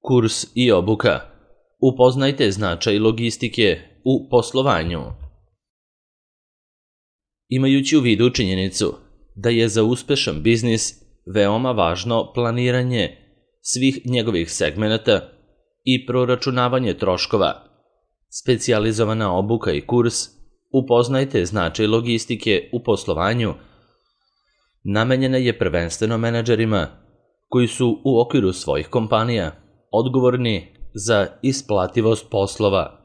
Kurs i obuka. Upoznajte značaj logistike u poslovanju. Imajući u vidu činjenicu da je za uspešan biznis veoma važno planiranje svih njegovih segmenata i proračunavanje troškova, specijalizovana obuka i kurs Upoznajte značaj logistike u poslovanju namenjena je prvenstveno menadžerima koji su u okviru svojih kompanija odgovorni za isplativost poslova.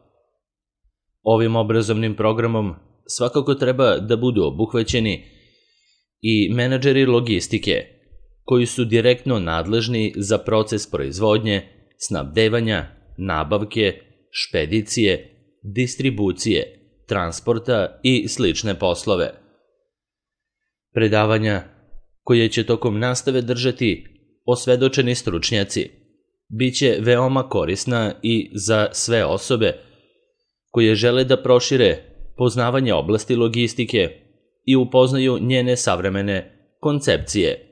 Ovim obrazovnim programom svakako treba da budu obuhvaćeni i menadžeri logistike koji su direktno nadležni za proces proizvodnje, snabdevanja, nabavke, špedicije, distribucije, transporta i slične poslove. Predavanja koje će tokom nastave držati osvedočeni stručnjaci biće veoma korisna i za sve osobe koje žele da prošire poznavanje oblasti logistike i upoznaju njene savremene koncepcije.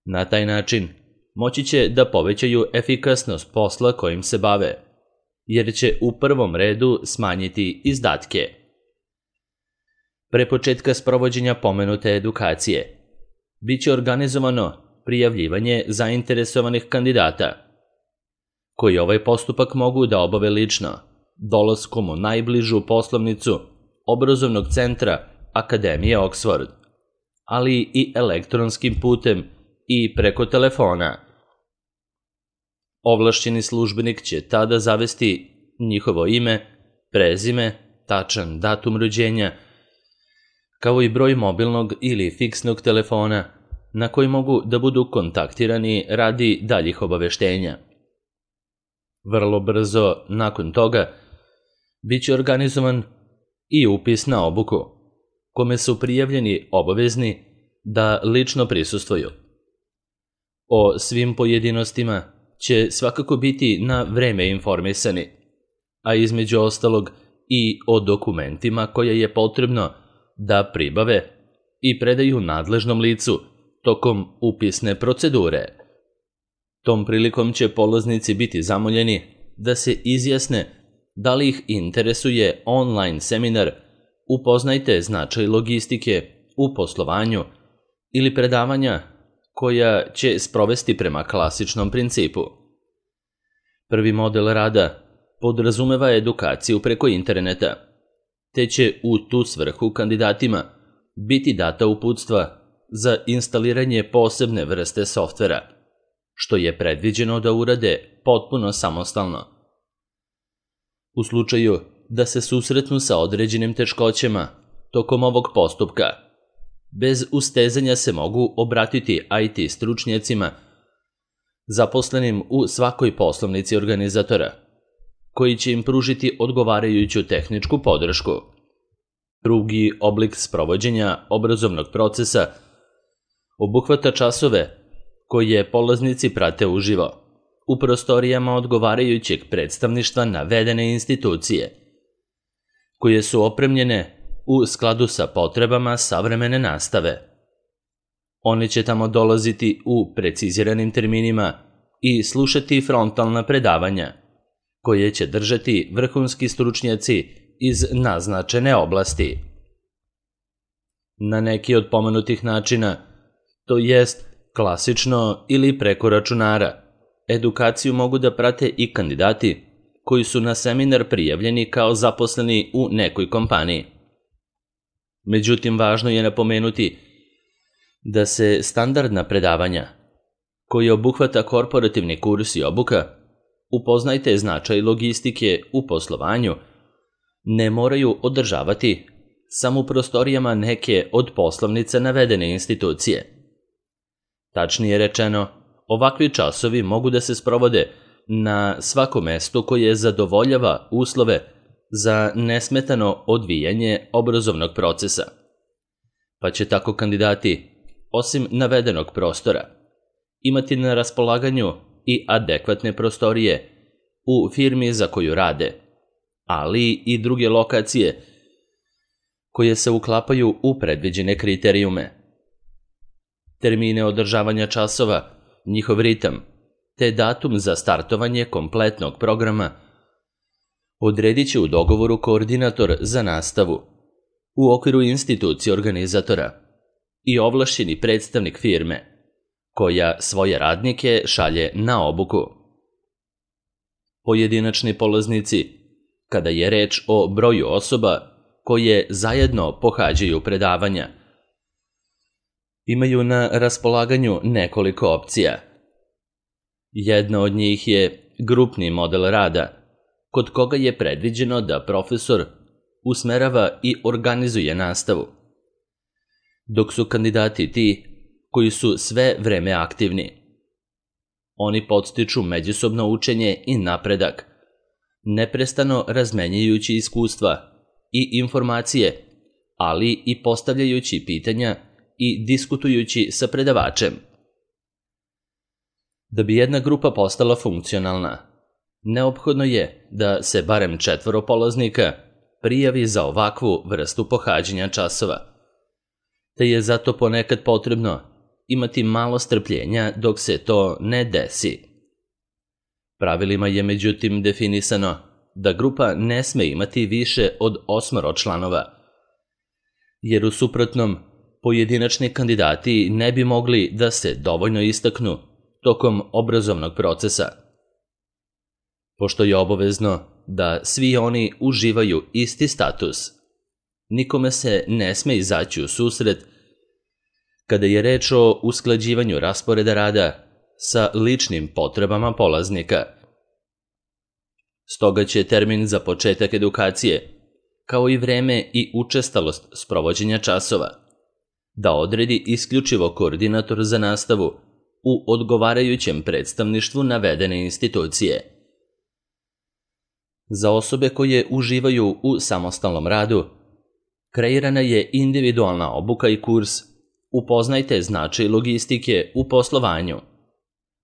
Na taj način moći će da povećaju efikasnost posla kojim se bave, jer će u prvom redu smanjiti izdatke. Pre početka sprovođenja pomenute edukacije biće organizovano prijavljivanje zainteresovanih kandidata, koji ovaj postupak mogu da obave lično, dolaskom u najbližu poslovnicu obrazovnog centra Akademije Oxford, ali i elektronskim putem i preko telefona. Ovlašćeni službenik će tada zavesti njihovo ime, prezime, tačan datum rođenja, kao i broj mobilnog ili fiksnog telefona na koji mogu da budu kontaktirani radi daljih obaveštenja. Vrlo brzo nakon toga biće organizovan i upis na obuku, kome su prijavljeni obavezni da lično prisustvuju. O svim pojedinostima će svakako biti na vreme informisani, a između ostalog i o dokumentima koje je potrebno da pribave i predaju nadležnom licu tokom upisne procedure. Tom prilikom će polaznici biti zamoljeni da se izjasne da li ih interesuje online seminar Upoznajte značaj logistike u poslovanju ili predavanja koja će sprovesti prema klasičnom principu. Prvi model rada podrazumeva edukaciju preko interneta, te će u tu svrhu kandidatima biti data uputstva za instaliranje posebne vrste softvera, što je predviđeno da urade potpuno samostalno. U slučaju da se susretnu sa određenim teškoćama tokom ovog postupka, bez ustezanja se mogu obratiti IT stručnjacima zaposlenim u svakoj poslovnici organizatora, koji će im pružiti odgovarajuću tehničku podršku. Drugi oblik sprovođenja obrazovnog procesa obuhvata časove koje polaznici prate uživo u prostorijama odgovarajućeg predstavništva navedene institucije, koje su opremljene u skladu sa potrebama savremene nastave. Oni će tamo dolaziti u preciziranim terminima i slušati frontalna predavanja, koje će držati vrhunski stručnjaci iz naznačene oblasti. Na neki od pomenutih načina, to jest klasično ili preko računara, edukaciju mogu da prate i kandidati koji su na seminar prijavljeni kao zaposleni u nekoj kompaniji. Međutim, važno je napomenuti da se standardna predavanja, koje obuhvata korporativni kurs i obuka, Upoznajte značaj logistike u poslovanju, ne moraju održavati samo u prostorijama neke od poslovnica navedene institucije. Tačnije rečeno, ovakvi časovi mogu da se sprovode na svakom mestu koje zadovoljava uslove za nesmetano odvijanje obrazovnog procesa, pa će tako kandidati, osim navedenog prostora, imati na raspolaganju i adekvatne prostorije u firmi za koju rade, ali i druge lokacije koje se uklapaju u predviđene kriterijume. Termine održavanja časova, njihov ritam, te datum za startovanje kompletnog programa odredit će u dogovoru koordinator za nastavu u okviru institucije organizatora i ovlašćeni predstavnik firme, koja svoje radnike šalje na obuku. Pojedinačni polaznici, kada je reč o broju osoba koje zajedno pohađaju predavanja, imaju na raspolaganju nekoliko opcija. Jedna od njih je grupni model rada, kod koga je predviđeno da profesor usmerava i organizuje nastavu, dok su kandidati ti koji su sve vreme aktivni. Oni podstiču međusobno učenje i napredak, neprestano razmenjujući iskustva i informacije, ali i postavljajući pitanja i diskutujući sa predavačem. Da bi jedna grupa postala funkcionalna, neophodno je da se barem 4 polaznika prijavi za ovakvu vrstu pohađanja časova, te je zato ponekad potrebno imati malo strpljenja dok se to ne desi. Pravilima je međutim definisano da grupa ne sme imati više od 8 članova, jer u suprotnom pojedinačni kandidati ne bi mogli da se dovoljno istaknu tokom obrazovnog procesa. Pošto je obavezno da svi oni uživaju isti status, nikome se ne sme izaći u susret kada je reč o usklađivanju rasporeda rada sa ličnim potrebama polaznika. Stoga će termin za početak edukacije, kao i vreme i učestalost sprovođenja časova, da odredi isključivo koordinator za nastavu u odgovarajućem predstavništvu navedene institucije. Za osobe koje uživaju u samostalnom radu, kreirana je individualna obuka i kurs Upoznajte značaj logistike u poslovanju,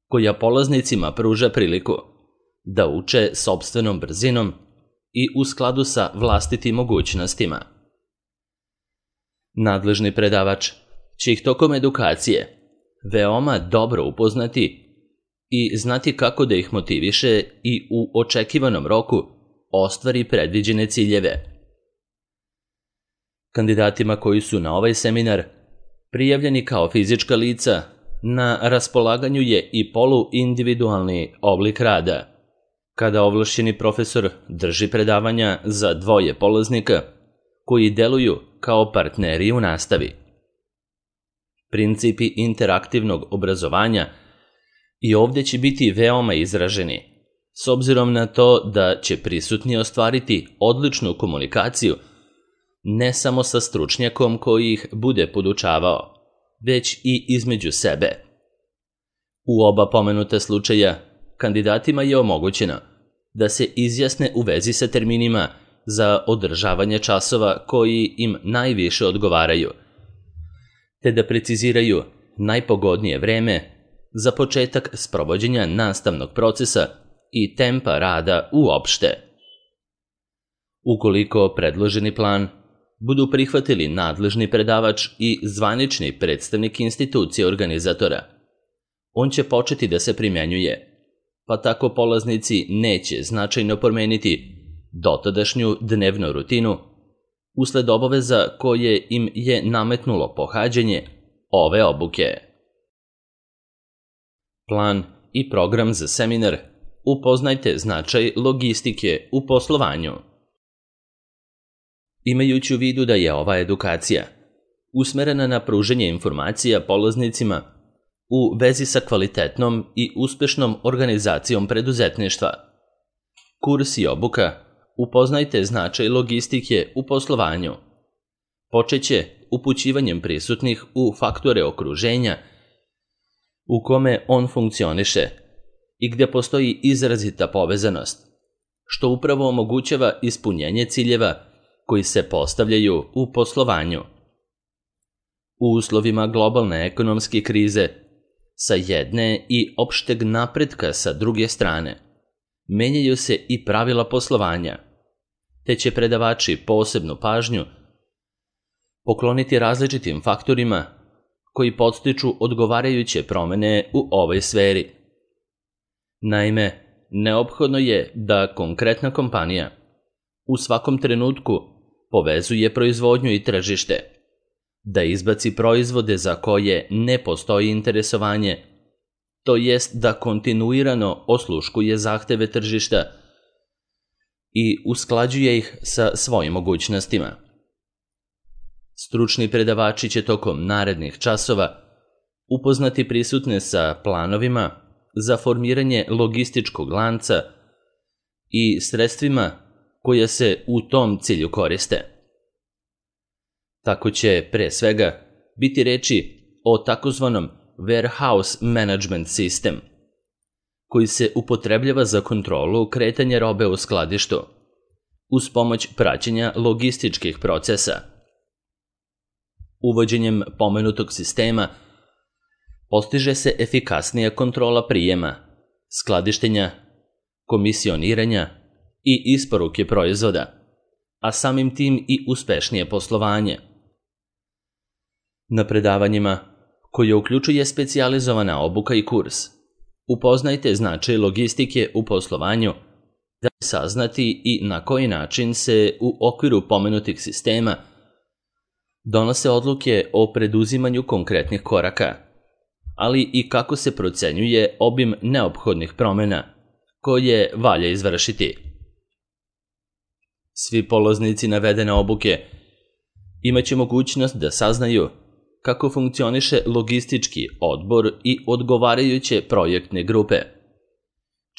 koja polaznicima pruža priliku da uče sopstvenom brzinom i u skladu sa vlastitim mogućnostima. Nadležni predavač će ih tokom edukacije veoma dobro upoznati i znati kako da ih motiviše i u očekivanom roku ostvari predviđene ciljeve. Kandidatima koji su na ovaj seminar prijavljeni kao fizička lica, na raspolaganju je i poluindividualni oblik rada, kada ovlašćeni profesor drži predavanja za 2 polaznika koji deluju kao partneri u nastavi. Principi interaktivnog obrazovanja i ovdje će biti veoma izraženi, s obzirom na to da će prisutni ostvariti odličnu komunikaciju ne samo sa stručnjakom koji ih bude podučavao, već i između sebe. U oba pomenuta slučaja kandidatima je omogućeno da se izjasne u vezi sa terminima za održavanje časova koji im najviše odgovaraju, te da preciziraju najpogodnije vreme za početak sprovođenja nastavnog procesa i tempa rada uopšte. Ukoliko predloženi plan budu prihvatili nadležni predavač i zvanični predstavnik institucije organizatora, on će početi da se primenjuje, pa tako polaznici neće značajno promeniti dotadašnju dnevnu rutinu usled obaveza koje im je nametnulo pohađanje ove obuke. Plan i program za seminar Upoznajte značaj logistike u poslovanju. Imajući u vidu da je ova edukacija usmerena na pružanje informacija polaznicima u vezi sa kvalitetnom i uspešnom organizacijom preduzetništva, kurs i obuka Upoznajte značaj logistike u poslovanju počeće upućivanjem prisutnih u faktore okruženja u kome on funkcioniše i gdje postoji izrazita povezanost, što upravo omogućava ispunjenje ciljeva koji se postavljaju u poslovanju. U uslovima globalne ekonomske krize, sa jedne i opšteg napretka sa druge strane, menjaju se i pravila poslovanja, te će predavači posebnu pažnju pokloniti različitim faktorima koji podstiču odgovarajuće promene u ovoj sferi. Naime, neophodno je da konkretna kompanija u svakom trenutku povezuje proizvodnju i tržište, da izbaci proizvode za koje ne postoji interesovanje, to jest da kontinuirano osluškuje zahteve tržišta i usklađuje ih sa svojim mogućnostima. Stručni predavači će tokom narednih časova upoznati prisutne sa planovima za formiranje logističkog lanca i sredstvima koja se u tom cilju koriste. Tako će, pre svega, biti reči o takozvanom warehouse management system, koji se upotrebljava za kontrolu kretanja robe u skladištu, uz pomoć praćenja logističkih procesa. Uvođenjem pomenutog sistema postiže se efikasnija kontrola prijema, skladištenja, komisioniranja i isporuke proizvoda, a samim tim i uspešnije poslovanje. Na predavanjima, koje uključuje specijalizovana obuka i kurs, upoznajte značaj logistike u poslovanju, da saznati i na koji način se u okviru pomenutih sistema donose odluke o preduzimanju konkretnih koraka, ali i kako se procenjuje obim neophodnih promena koje valja izvršiti. Svi polaznici navedene obuke imaće mogućnost da saznaju kako funkcioniše logistički odbor i odgovarajuće projektne grupe,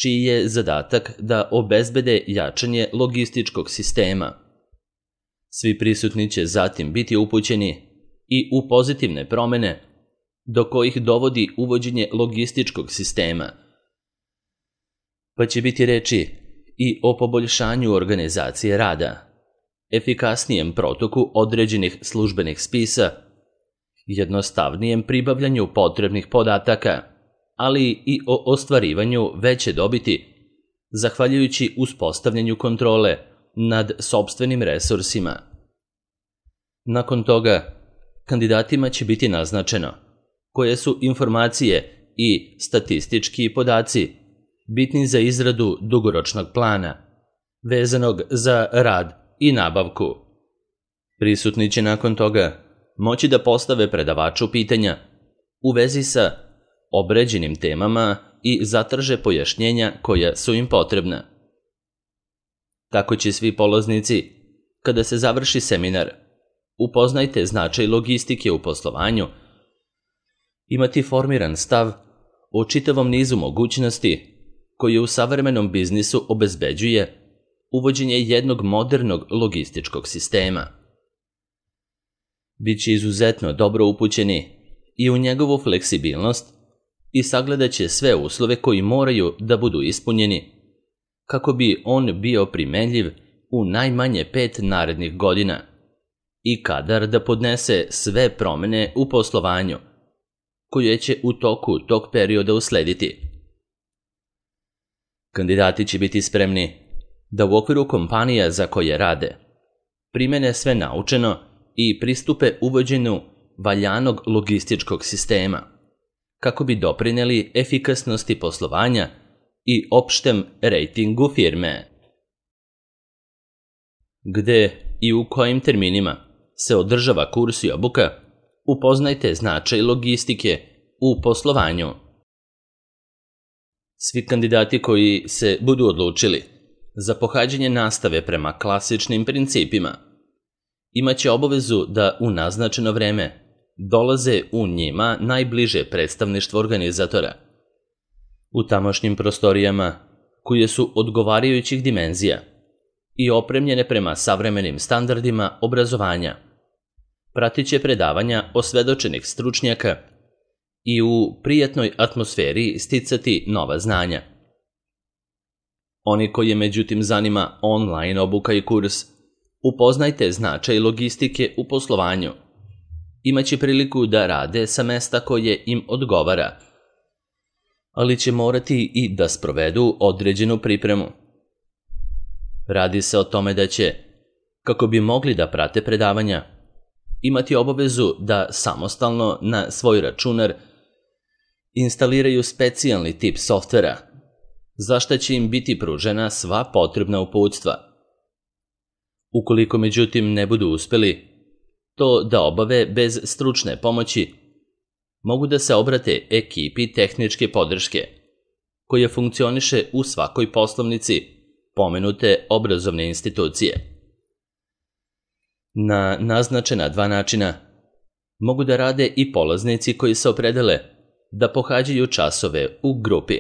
čiji je zadatak da obezbede jačanje logističkog sistema. Svi prisutni će zatim biti upućeni i u pozitivne promene do kojih dovodi uvođenje logističkog sistema, pa će biti reči i o poboljšanju organizacije rada, efikasnijem protoku određenih službenih spisa, jednostavnijem pribavljanju potrebnih podataka, ali i o ostvarivanju veće dobiti, zahvaljujući uspostavljanju kontrole nad sopstvenim resursima. Nakon toga, kandidatima će biti naznačeno koje su informacije i statistički podaci bitni za izradu dugoročnog plana, vezanog za rad i nabavku. Prisutni će nakon toga moći da postave predavaču pitanja u vezi sa obrađenim temama i zatraže pojašnjenja koja su im potrebna. Tako će svi polaznici, kada se završi seminar, upoznajte značaj logistike u poslovanju, imati formiran stav o čitavom nizu mogućnosti koje u savremenom biznisu obezbeđuje uvođenje jednog modernog logističkog sistema. Biće izuzetno dobro upućeni i u njegovu fleksibilnost i sagledat će sve uslove koji moraju da budu ispunjeni kako bi on bio primenljiv u najmanje 5 narednih godina i kadar da podnese sve promene u poslovanju koje će u toku tog perioda uslediti. Kandidati će biti spremni da u okviru kompanija za koje rade primene sve naučeno i pristupe uvođenju valjanog logističkog sistema, kako bi doprineli efikasnosti poslovanja i opštem rejtingu firme. Gde i u kojim terminima se održava kurs i obuka, upoznajte značaj logistike u poslovanju. Svi kandidati koji se budu odlučili za pohađanje nastave prema klasičnim principima imaće obavezu da u naznačeno vreme dolaze u njima najbliže predstavništvo organizatora. U tamošnjim prostorijama, koje su odgovarajućih dimenzija i opremljene prema savremenim standardima obrazovanja, pratit će predavanja osvedočenih stručnjaka i u prijatnoj atmosferi sticati nova znanja. Oni koje međutim zanima online obuka i kurs, upoznajte značaj logistike u poslovanju. Imaće priliku da rade sa mesta koje im odgovara, ali će morati i da sprovedu određenu pripremu. Radi se o tome da će, kako bi mogli da prate predavanja, imati obavezu da samostalno na svoj računar instaliraju specijalni tip softvera za šta će im biti pružena sva potrebna uputstva. Ukoliko međutim ne budu uspeli to da obave bez stručne pomoći, mogu da se obrate ekipi tehničke podrške, koja funkcioniše u svakoj poslovnici pomenute obrazovne institucije. Na naznačena 2 načina mogu da rade i polaznici koji se opredele da pohađaju časove u grupi,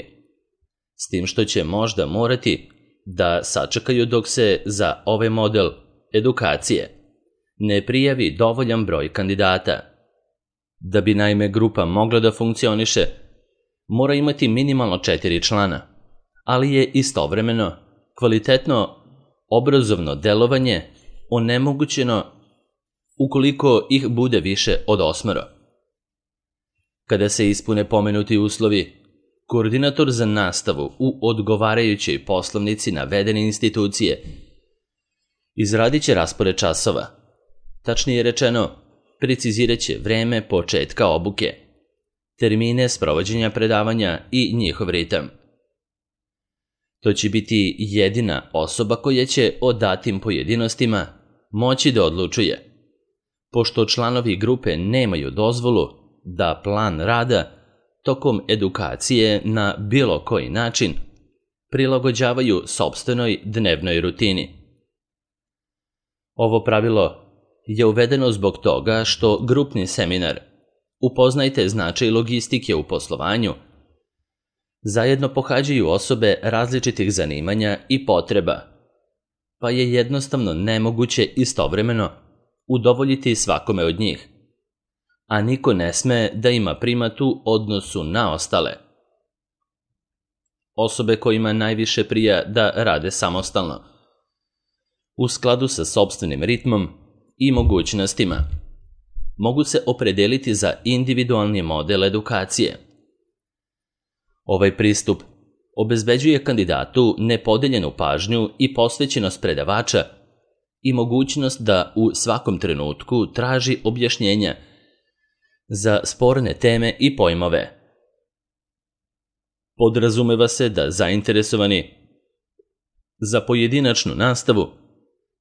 s tim što će možda morati da sačekaju dok se za ovaj model edukacije ne prijavi dovoljan broj kandidata. Da bi naime grupa mogla da funkcioniše, mora imati minimalno 4 člana, ali je istovremeno kvalitetno obrazovno delovanje onemogućeno ukoliko ih bude više od 8. Kada se ispune pomenuti uslovi, koordinator za nastavu u odgovarajućoj poslovnici navedene institucije izradit će raspored časova, tačnije rečeno, precizirat će vreme početka obuke, termine sprovođenja predavanja i njihov ritam. To će biti jedina osoba koja će o datim pojedinostima moći da odlučuje, pošto članovi grupe nemaju dozvolu da plan rada tokom edukacije na bilo koji način prilagođavaju sopstvenoj dnevnoj rutini. Ovo pravilo je uvedeno zbog toga što grupni seminar Upoznajte značaj logistike u poslovanju zajedno pohađaju osobe različitih zanimanja i potreba, pa je jednostavno nemoguće istovremeno udovoljiti svakome od njih, a niko ne sme da ima primat u odnosu na ostale. Osobe kojima najviše prija da rade samostalno, u skladu sa sopstvenim ritmom i mogućnostima, mogu se opredeliti za individualni model edukacije. Ovaj pristup obezbeđuje kandidatu nepodeljenu pažnju i posvećenost predavača i mogućnost da u svakom trenutku traži objašnjenja za sporne teme i pojmove. Podrazumeva se da zainteresovani za pojedinačnu nastavu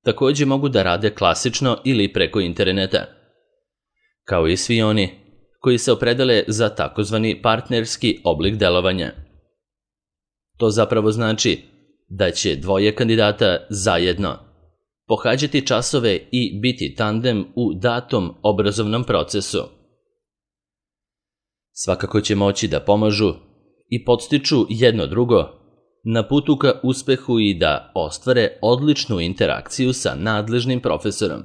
takođe mogu da rade klasično ili preko interneta, kao i svi oni koji se opredele za takozvani partnerski oblik delovanja. To zapravo znači da će 2 kandidata zajedno pohađati časove i biti tandem u datom obrazovnom procesu. Svakako će moći da pomažu i podstiču jedno drugo na putu ka uspehu i da ostvare odličnu interakciju sa nadležnim profesorom.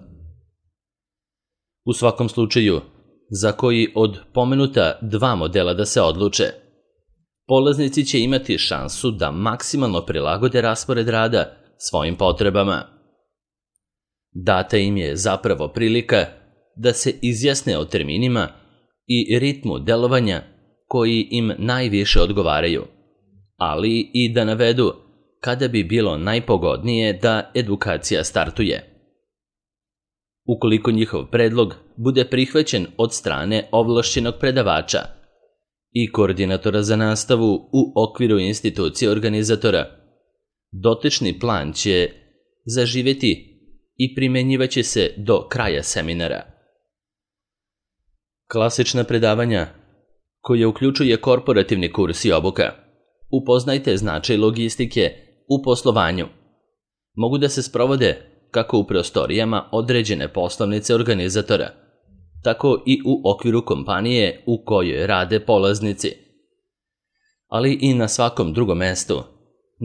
U svakom slučaju, za koji od pomenuta 2 modela da se odluče, polaznici će imati šansu da maksimalno prilagode raspored rada svojim potrebama. Data im je zapravo prilika da se izjasne o terminima i ritmu delovanja koji im najviše odgovaraju, ali i da navedu kada bi bilo najpogodnije da edukacija startuje. Ukoliko njihov predlog bude prihvaćen od strane ovlašćenog predavača i koordinatora za nastavu u okviru institucije organizatora, dotični plan će zaživeti i primenjivaće se do kraja seminara. Klasična predavanja, koja uključuje korporativni kurs i obuka, upoznajte značaj logistike u poslovanju, mogu da se sprovode kako u prostorijama određene poslovnice organizatora, tako i u okviru kompanije u kojoj rade polaznici, ali i na svakom drugom mestu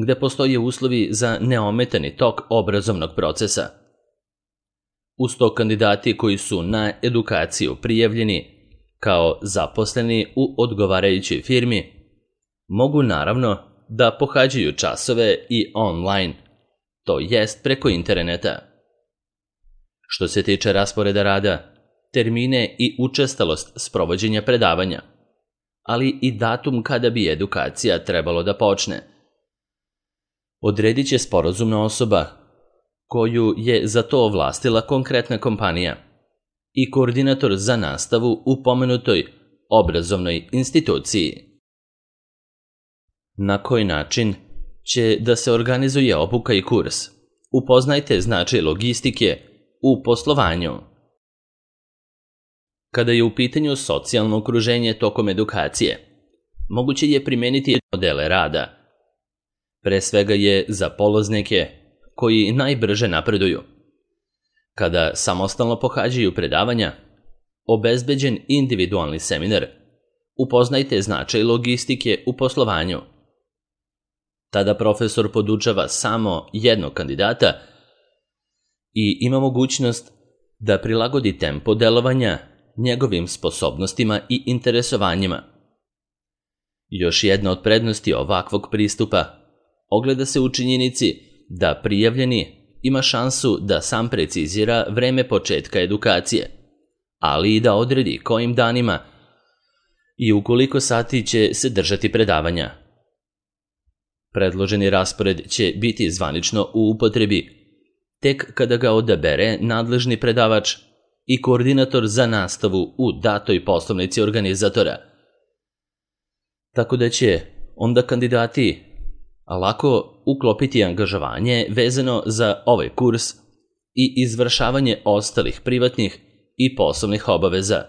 gde postoje uslovi za neometani tok obrazovnog procesa. Uz to kandidati koji su na edukaciju prijavljeni kao zaposleni u odgovarajućoj firmi mogu naravno da pohađaju časove i online, to jest preko interneta. Što se tiče rasporeda rada, termine i učestalost sprovođenja predavanja, ali i datum kada bi edukacija trebalo da počne, odredit će sporazumna osoba koju je za to ovlastila konkretna kompanija i koordinator za nastavu u pomenutoj obrazovnoj instituciji. Na koji način će da se organizuje obuka i kurs. Upoznajte značaj logistike u poslovanju. Kada je u pitanju socijalno okruženje tokom edukacije, moguće je primeniti modele rada. Pre svega je za polaznike koji najbrže napreduju. Kada samostalno pohađaju predavanja, obezbeđen individualni seminar, upoznajte značaj logistike u poslovanju. Tada profesor podučava samo jednog kandidata i ima mogućnost da prilagodi tempo delovanja njegovim sposobnostima i interesovanjima. Još jedna od prednosti ovakvog pristupa ogleda se u činjenici da prijavljeni ima šansu da sam precizira vreme početka edukacije, ali i da odredi kojim danima i u koliko sati će se držati predavanja. Predloženi raspored će biti zvanično u upotrebi tek kada ga odabere nadležni predavač i koordinator za nastavu u datoj poslovnici organizatora. Tako da će onda kandidati lako uklopiti angažovanje vezano za ovaj kurs i izvršavanje ostalih privatnih i poslovnih obaveza.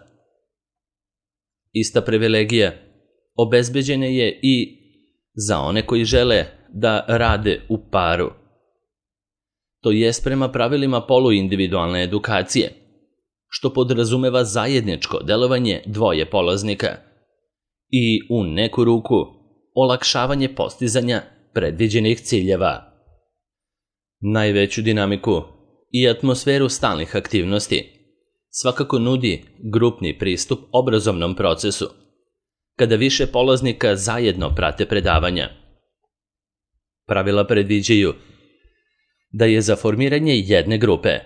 Ista privilegija obezbeđena je i za one koji žele da rade u paru. To jest prema pravilima poluindividualne edukacije, što podrazumeva zajedničko delovanje dvoje polaznika i u neku ruku olakšavanje postizanja predviđenih ciljeva. Najveću dinamiku i atmosferu stalnih aktivnosti svakako nudi grupni pristup obrazovnom procesu, kada više polaznika zajedno prate predavanja. Pravila predviđaju da je za formiranje jedne grupe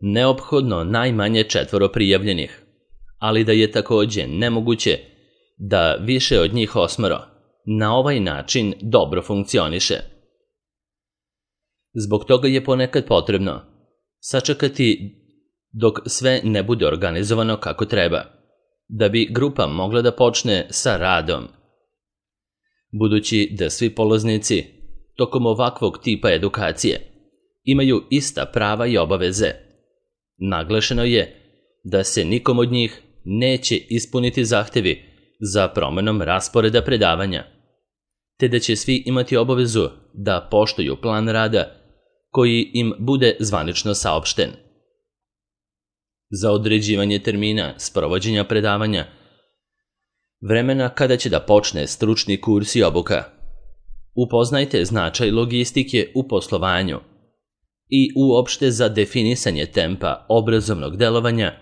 neophodno najmanje 4 prijavljenih, ali da je takođe nemoguće da više od njih 8 na ovaj način dobro funkcioniše. Zbog toga je ponekad potrebno sačekati dok sve ne bude organizovano kako treba, da bi grupa mogla da počne sa radom. Budući da svi polaznici tokom ovakvog tipa edukacije imaju ista prava i obaveze, naglašeno je da se nikom od njih neće ispuniti zahtevi za promenom rasporeda predavanja, te da će svi imati obavezu da poštuju plan rada koji im bude zvanično saopšten. Za određivanje termina sprovođenja predavanja, vremena kada će da počne stručni kurs i obuka, upoznajte značaj logistike u poslovanju i uopšte za definisanje tempa obrazovnog delovanja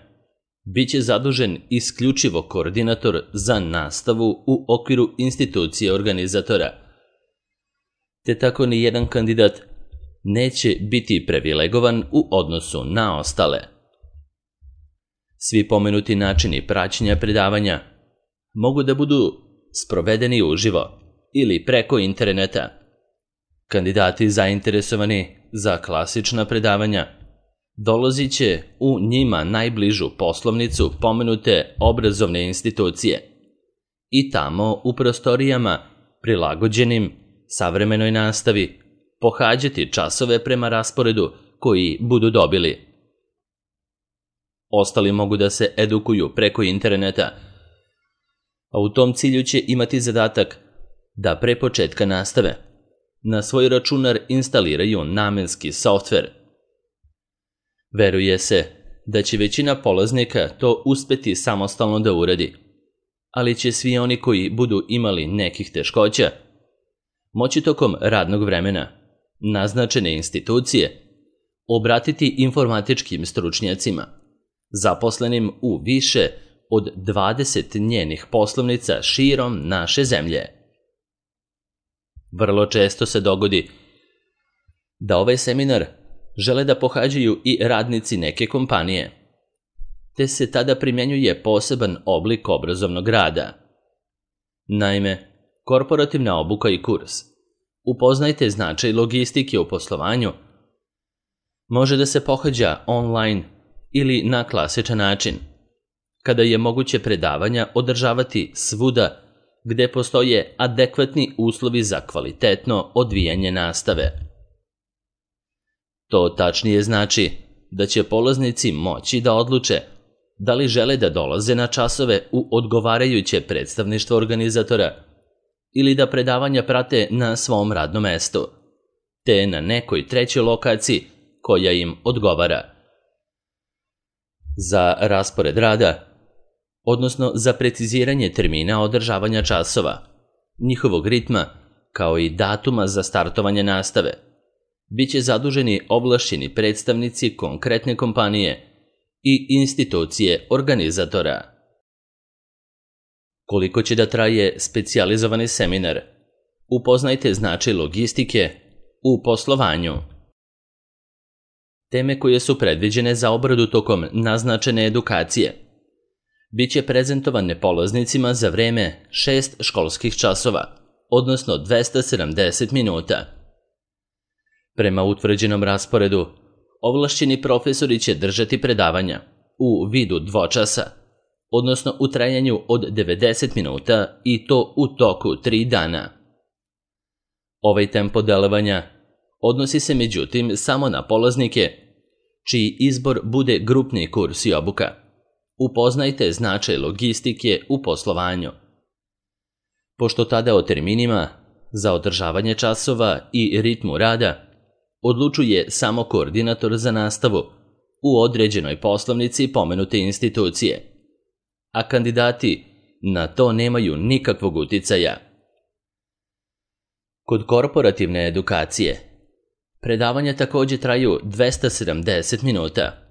biće zadužen isključivo koordinator za nastavu u okviru institucije organizatora, te tako ni jedan kandidat neće biti privilegovan u odnosu na ostale. Svi pomenuti načini praćenja predavanja mogu da budu sprovedeni uživo ili preko interneta. Kandidati zainteresovani za klasična predavanja dolazit će u njima najbližu poslovnicu pomenute obrazovne institucije i tamo u prostorijama prilagođenim savremenoj nastavi pohađati časove prema rasporedu koji budu dobili. Ostali mogu da se edukuju preko interneta, a u tom cilju će imati zadatak da pre početka nastave na svoj računar instaliraju namenski softver. Veruje se da će većina polaznika to uspeti samostalno da uradi, ali će svi oni koji budu imali nekih teškoća moći tokom radnog vremena naznačene institucije obratiti informatičkim stručnjacima, zaposlenim u više od 20 njenih poslovnica širom naše zemlje. Vrlo često se dogodi da ovaj seminar žele da pohađaju i radnici neke kompanije, te se tada primjenjuje poseban oblik obrazovnog rada. Naime, korporativna obuka i kurs Upoznajte značaj logistike u poslovanju može da se pohađa online ili na klasičan način, kada je moguće predavanja održavati svuda gde postoje adekvatni uslovi za kvalitetno odvijanje nastave. To tačnije znači da će polaznici moći da odluče da li žele da dolaze na časove u odgovarajuće predstavništvo organizatora ili da predavanja prate na svom radnom mestu, te na nekoj trećoj lokaciji koja im odgovara. Za raspored rada, odnosno za preciziranje termina održavanja časova, njihovog ritma, kao i datuma za startovanje nastave, biće zaduženi ovlašćeni predstavnici konkretne kompanije i institucije organizatora. Koliko će da traje specijalizovani seminar? Upoznajte značaj logistike u poslovanju. Teme koje su predviđene za obradu tokom naznačene edukacije biće prezentovane polaznicima za vreme 6 školskih časova, odnosno 270 minuta. Prema utvrđenom rasporedu, ovlašćeni profesori će držati predavanja u vidu dvočasa, odnosno u trajanju od 90 minuta i to u toku 3 dana. Ovaj tempo delovanja odnosi se međutim samo na polaznike čiji izbor bude grupni kurs i obuka. Upoznajte značaj logistike u poslovanju. Pošto tada o terminima za održavanje časova i ritmu rada odlučuje samo koordinator za nastavu u određenoj poslovnici pomenute institucije, a kandidati na to nemaju nikakvog uticaja. Kod korporativne edukacije predavanja također traju 270 minuta,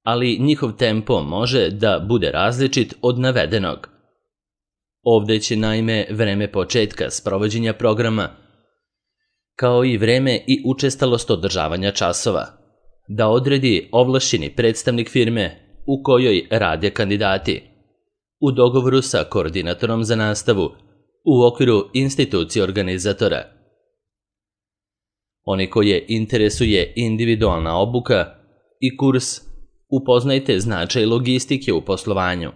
ali njihov tempo može da bude različit od navedenog. Ovde će naime vreme početka sprovođenja programa, kao i vreme i učestalost održavanja časova, da odredi ovlašćeni predstavnik firme u kojoj rade kandidati, u dogovoru sa koordinatorom za nastavu u okviru institucije organizatora. Oni koje interesuje individualna obuka i kurs, upoznajte značaj logistike u poslovanju,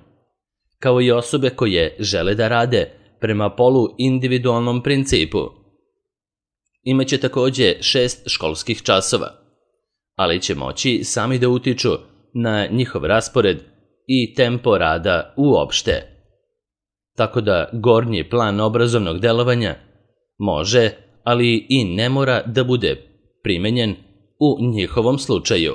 kao i osobe koje žele da rade prema polu individualnom principu. Imaće također 6 školskih časova, ali će moći sami da utiču na njihov raspored i tempo rada uopšte. Tako da gornji plan obrazovnog delovanja može, ali i ne mora da bude primenjen u njihovom slučaju.